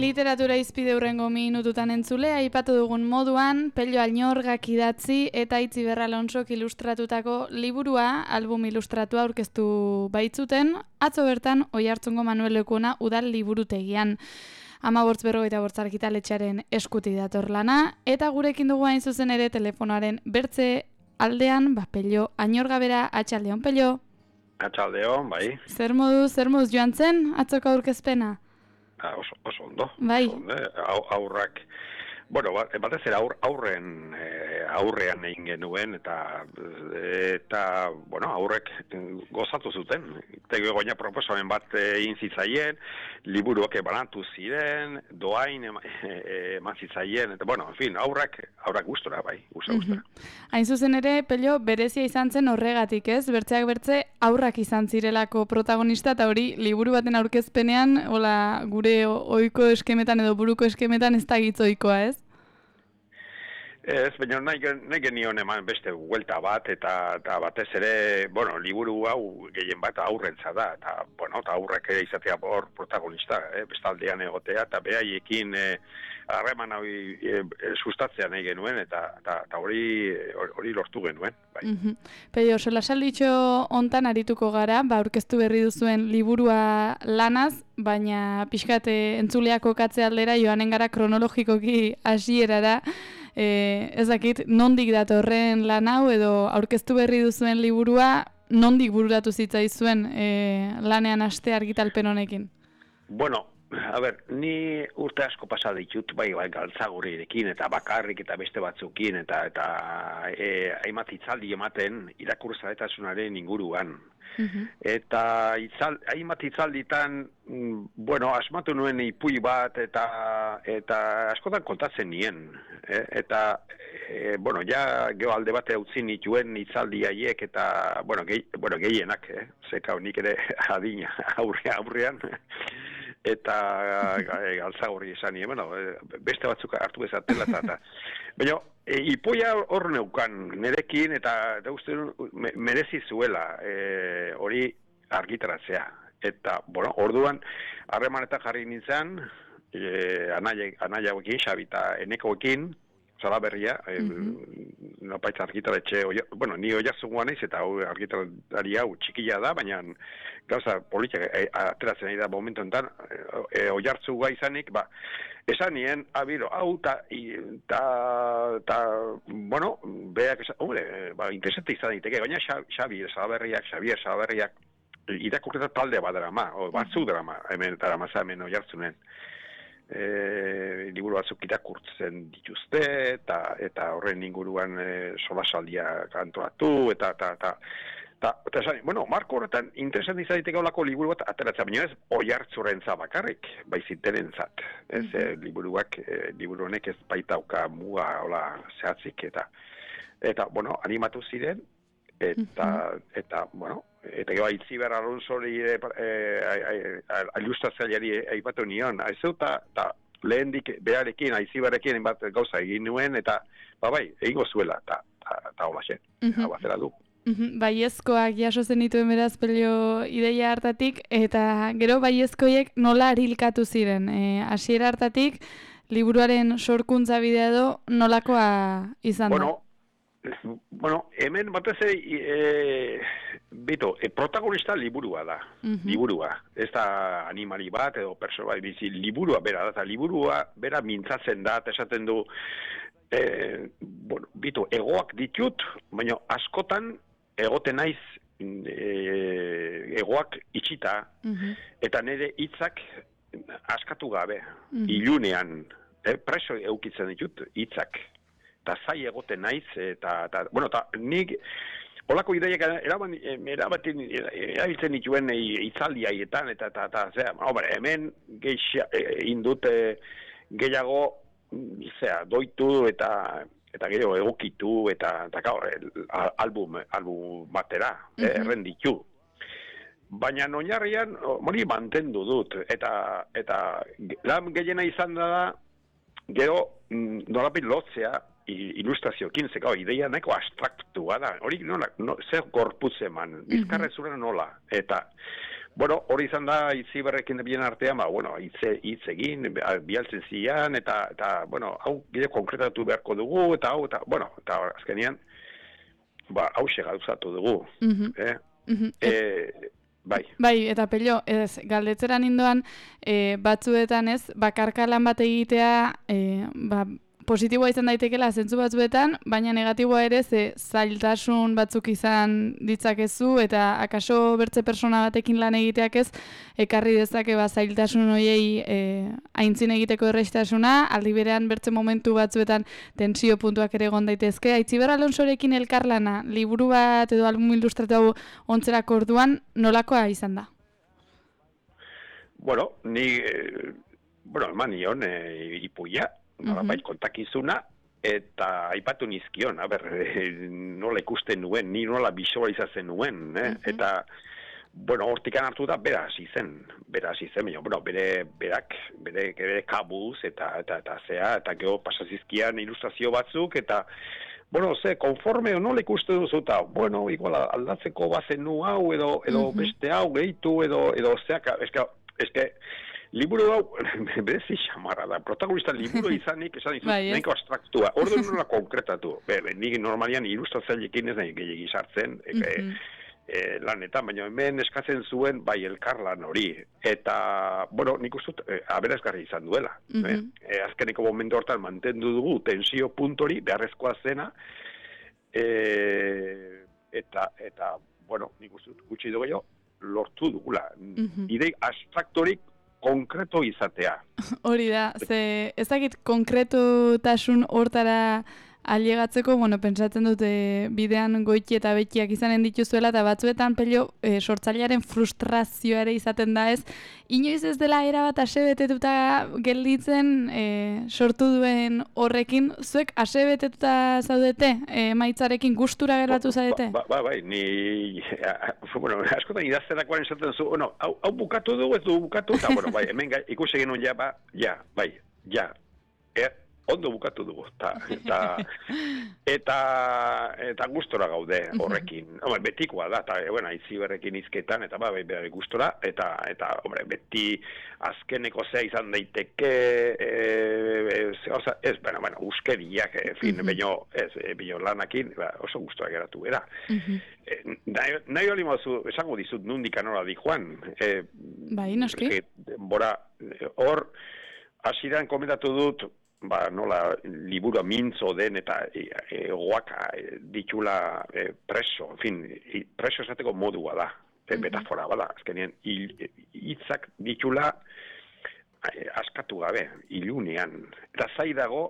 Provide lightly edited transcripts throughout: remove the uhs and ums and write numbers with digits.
Literatura izpide hurrengo minututan entzule, aipatu dugun moduan, Pello Añorgak idatzi eta Itziber Alonsok ilustratutako liburua, album ilustratua aurkeztu baitzuten, atzo bertan Oiartzungo Manuel Lekuona udal liburutegian. 15:45 argitaletxearen eskutik dator lana, eta gurekin dugu hain zuzen ere telefonoaren bertze aldean, Pello Añorga bera, atxaldeon, Pello. Atxaldeon, bai. Zer moduz joan zen, atzoko aurkezpena? Oso ondo. Bai. Aurrak, bueno, batez ere aurrean egin genuen, eta bueno, aurrek gozatu zuten. Tegoia proposamen bat egin zitzaien, liburuak banatu ziren, doain eman zitzaien, eta, bueno, en fin, aurrak gustora, bai, gustora. Hain zuzen ere, Pello, berezia izan zen horregatik, ez? Bertzeak bertze, aurrak izan zirelako protagonista, eta hori, liburu baten aurkezpenean, hola, gure ohiko eskemetan edo buruko eskemetan ez da gitzoikoa, ez? Ez, baina nahi genion eman beste huelta bat, eta batez ere, bueno, liburu hau gehien bat aurrentza da, eta, bueno, eta aurrak ere izatea hor protagonista, bestaldean egotea, eta behaiekin harreman hau sustatzea nahi genuen, eta hori lortu genuen, bai. Pello, solasalditxo hontan arituko gara, aurkeztu berri duzuen liburua lanaz, baina pixkate entzuleako katze aldera joanen gara kronologikoki hasierara. Ez dakit, nondik datorren lan hau edo aurkeztu berri duzuen liburua, nondik bururatu zitzaizuen lanean haste argitalpen honekin? Bueno, a ber, ni urte asko pasa ditut, bai, galtzagurrirekin eta bakarrik eta beste batzukin eta hainbat hitzaldi ematen irakurzaletasunaren inguruan. Eta hainbat hitzalditan, bueno, asmatu nuen ipui bat eta askotan kontatzen nien. Eta, bueno, ja geho alde bate utzi nituen hitzaldi haiek eta, bueno, gehienak, zeka nik ere adina aurrean. Eta galtzagorri esan nien, bueno, beste batzuk hartu bezatela eta baina, ipoia hor neukan nerekin eta uste merezi zuela hori argitaratzea. Eta, bueno, orduan harremanetan jarri nintzen, anaiagoekin, Xabi eta Enekoekin, Salaberria, nopaitz argitaletxe, bueno, ni Oiartzungoa naiz eta argitalari hau txikila da, baina gauza politika ateratzen ari da momentu enten, Oiartzungoa izanik, esan nien, hau eta, bueno, beak esan, interesante izan daiteke, baina Xavier Salaberriak, irakurketa talde bat drama, batzuk drama, hemen Oiartzunen. Liburu batzuk irakurtzen dituzte eta horren inguruan solasaldia kantoratu eta esan, bueno, marko horretan interesan izan daiteke olako liburu bat ateratzen, baina ez Oiartzurentzat bakarrik, baizintenentzat. Ez, liburu honek ez baitauka muga hola zehatzik eta bueno, animatu ziren eta bueno, eta gero Itziber Alonsori ilustratzaileari aipatu nion, eta lehendik beharekin, Itziberrekin bat gauza egin nuen, eta bai, egingo zuela, eta hola zen, bazera du. Baiezkoak jaso zenituen beraz Pello ideia hartatik, eta gero baiezkoiek nola arilkatu ziren, hasiera hartatik, liburuaren sorkuntza bidea edo nolakoa izan da? Bueno, hemen batez protagonista liburua da, liburua. Ez da animali bat edo persona bat, liburua bera da, eta liburua bera mintzatzen da, eta esaten du, egoak ditut, baina askotan egoten naiz egoak itxita, eta nire hitzak askatu gabe, ilunean, preso eukitzen ditut hitzak. Eta zai egoten naiz, eta nik olako ideiak erabiltzen dituen hitzaldi haietan, eta hemen indute gehiago doitu eta gero egokitu, eta album batera, errenditu. Baina oinarrian hori mantendu dut, eta lan gehiena izan da, gero nolapit lotzea, ilustrazioekin, zeka, ideia nahiko abstraktua da, hori zer gorputz eman, bizkarrezura nola, eta Bueno, hori izan da Itziberrekin bien artean, bueno, hitz egin, bialtzen zian, eta bueno, hau gire konkretatu beharko dugu, eta azkenean, hause gauzatu dugu. Bai. Bai, eta Pello, galdetzeran indoan, batzuetan bakarka lan bat egitea, positiboa izan daitekela zentzu batzuetan, baina negatiboa ere zailtasun batzuk izan ditzakezu, eta akaso bertze persona batekin lan egiteak ekarri dezake zailtasun horiei aintzin egiteko errestasuna, aldi berean bertze momentu batzuetan tensio puntuak ere egon daitezke. Aitziber Alonsorekin elkarlana, liburu bat edo album ilustratu hau ontzerako orduan, nolakoa izan da? Bueno, eman nion ipuia, bai kontakizuna, eta aipatu nizkion, nola ikusten nuen, ni nola visualizatzen nuen, eta, bueno, hortikan hartu da, bera hasi zen, bere kabuz, eta zea, eta geho pasazizkian ilustrazio batzuk, eta, bueno, konforme nola ikusten duzu, eta, bueno, igual aldatzeko bazen nu hau, edo beste hau gehitu, edo zeak, eske, liburu hau, berezi xamarra da, protagonista liburu izanik, esan dizut, nahiko abstraktua, orduan nola konkretatu, nik normalian ilustratzailekin ez nahi gehiagi sartzen, lanetan, baina hemen eskatzen zuen bai elkarlan hori, eta, bueno, nik ustut, aberazgarri izan duela, azkeneko momentu hortan mantendu dugu tensio puntori, beharrezkoa zena, eta, bueno, nik ustut, gutxi dugu jo, lortu dugula, idei abstraktorik konkreto izatea. Hori da, ez dakit konkretotasun hortara ailegatzeko, bueno, pentsatzen dute bidean goiti eta bekiak izanen dituzuela, eta batzuetan Pello sortzailearen frustrazioa ere izaten da inoiz ez dela erabat asebetetuta gelditzen sortu duen horrekin, zuek asebetetuta zaudete, maitzarekin gustura geratu zaudete? Bai, ni, bueno, askotan idazterakoan esaten zu, bueno, hau bukatu dugu, ez du bukatu, eta, bueno, bai, hemen ikusi genuen ondo bukatu dugu, eta gustora gaude horrekin. Betikoa da, eta Itziberrekin hizketan, eta bere gustora, eta beti azkeneko zea izan daiteke, uskeriak, baino lanakin, oso gustora geratu era. Nahi hori mazu, esango dizut nundik anora di joan. Bai, noski. Hor, hasieran komentatu dut, nola liburua mintzo den eta egoak ditula preso, preso esateko modua da, metafora bada, azkenean hitzak ditula askatu gabe, ilunean, eta zai dago,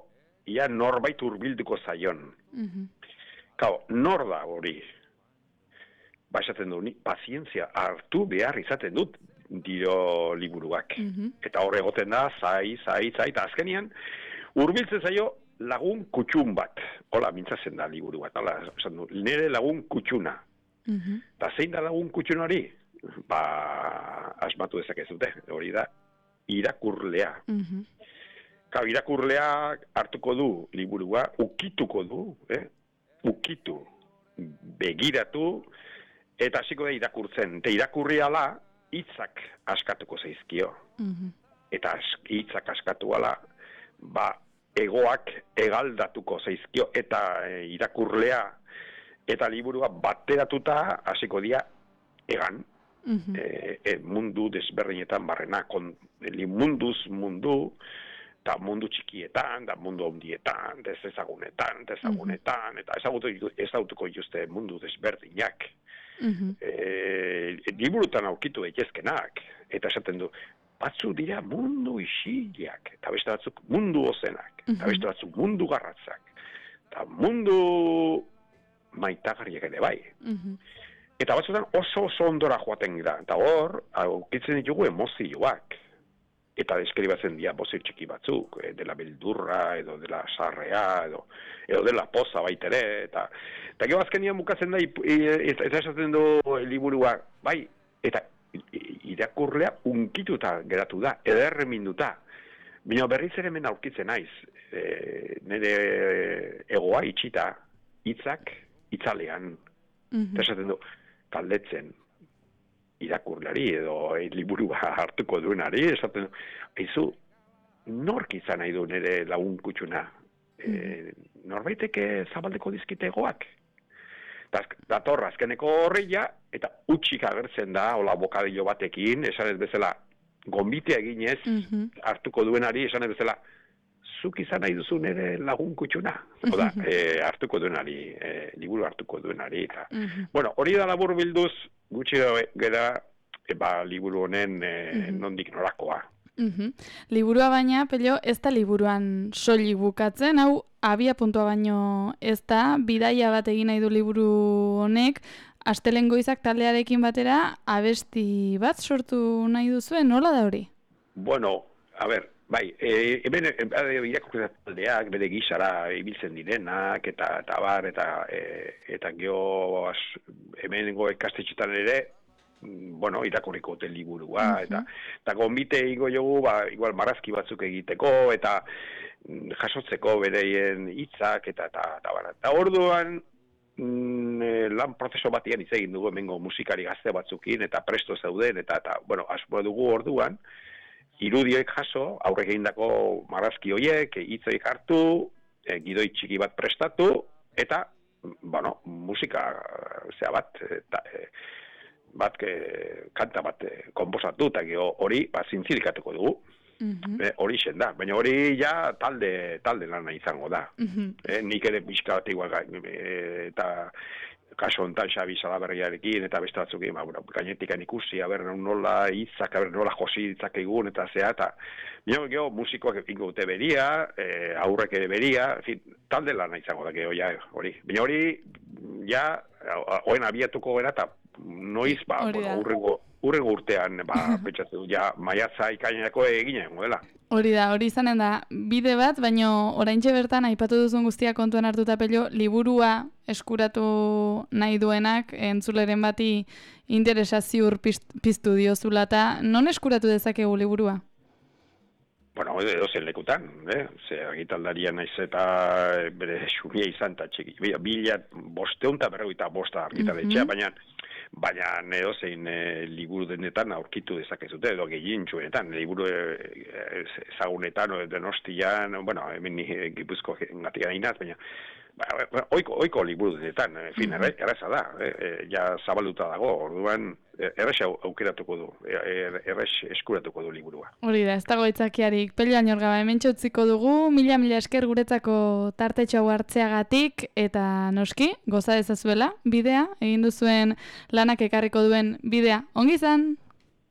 ia norbait hurbilduko zaion. Nor da hori? Esaten du, pazientzia hartu behar izaten dut dio liburuak. Eta hor egoten da, zai, eta azkenean, hurbiltzen zaio lagun kutxun bat. Hola, mintzatzen da liburu bat. Nire lagun kutxuna. Eta zein da lagun kutxun hori? Asmatu dezakezute. Hori da, irakurlea. Irakurlea hartuko du liburua, ukituko du, ukitu, begiratu, eta hasiko da irakurtzen. Eta irakurri ala, hitzak askatuko zaizkio. Eta hitzak askatu ala, egoak egaldatuko zaizkio eta irakurlea eta liburua bateratuta hasiko dira egan. Mundu desberdinetan barrena, munduz mundu, eta mundu txikietan, eta mundu handietan, ezagunetan, eta ezagutuko dituzte mundu desberdinak. Liburutan aurkitu daitezkenak, eta esaten du, batzu dira mundu isileak, eta beste batzuk mundu ozenak, eta beste batzuk mundu garratzak, eta mundu maitagarriak ere bai. Eta batzutan oso ondora joaten gira, eta hor, aurkitzen ditugu emozioak, eta deskribatzen dira bozio txiki batzuk, dela beldurra, edo dela sarrea, edo dela poza baitere, eta gero azkenian bukatzen da, eta esaten du liburua, bai, eta irakurlea unkituta geratu da, ederreminduta. Baina berriz ere hemen aurkitzen naiz, nire egoa itxita, hitzak itzalean. Eta esaten du, galdetzen, irakurlari edo liburua hartuko duenari, esaten, aizu, nork izan nahi du nire lagun kutxuna? Norbaiteke zabaldeko dizkite egoak? Dator azkeneko horreia, eta utxik agertzen da, hola bokadillo batekin, esan ez bezala, gonbitea eginez, hartuko duenari, esan ez bezala, zuk izan nahi duzu nire lagun kutxuna. Oda, hartuko duenari, liburu hartuko duenari. Eta. Bueno, hori da labur bilduz, gutxi gara, liburu honen nondik norakoa. Liburua baina, Pello, ez da liburuan soilik bukatzen, hau abia puntua baino ez da, bidaia bat egin nahi du liburu honek, Astelehen Goizak taldearekin batera, abesti bat sortu nahi duzuen, nola da hori? Bueno, a ber, bai, hemen irakurketa taldeak, bere gisara ibiltzen direnak, eta bar, eta geho hemenengo ikastetxetan ere, bueno, irakurriko dute liburua, eta gonbite igo jogu, igual marrazki batzuk egiteko, eta jasotzeko bereien hitzak, eta orduan, lan prozeso batian hitz egin dugu hemengo musikari gazte batzukin, eta presto zeuden, eta bueno, asmoa dugu orduan, irudioek jaso, aurrek egindako marrazki horiek, hitzoik hartu, gidoi txiki bat prestatu, eta, bueno, musika, kanta bat konposatu, eta hori zintzilikatuko dugu. Hori zen da, baina hori ja talde lana izango da. Nik ere pixka bat igual, eta kaso hontan Xabi Salaberriarekin, eta beste batzukin, gainetikan ikusi, nola hitzak, nola josi hitzak egun, eta eta geho musikoak egingo dute beria, aurrek ere beria, en fin, talde lana izango da, geho, ja, hori. Baina hori, ja, oen abiatuko gara, eta noiz, urrengo urtean, pentsatzen du, ja, maiatza ikainerako eginen, dela. Hori da, hori izanen da, bide bat, baino oraintxe bertan, aipatu duzun guztia kontuan hartuta Pello, liburua eskuratu nahi duenak, entzuleren bati interesa ziur piztu diozula, eta non eskuratu dezakegu liburua? Bueno, edozen lekutan, ze argitaldaria naiz eta bere xumia izan eta txiki. Bila 555 argitaletxea, baina edozein liburu denetan aurkitu dezakezute, edo gehientsuenetan, liburu ezagunetan, Donostian, bueno, hemen Gipuzko gatik gainaz, baina oiko liburu denetan, en fin, erreza da, ja zabalduta dago, orduan errez aukeratuko du, errez eskuratuko du liburua. Hori da, ez dago itzakiarik. Pello Añorga, hemen txutziko dugu, mila esker guretzako tartetxo hau hartzeagatik, eta noski, goza dezazuela, bidea, egin duzuen lanak ekarriko duen bidea. Ongi izan?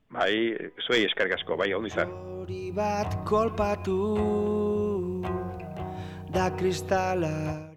Bai, zuei eskerrik asko, bai, ongi izan. Hori bat kolpatu da kristala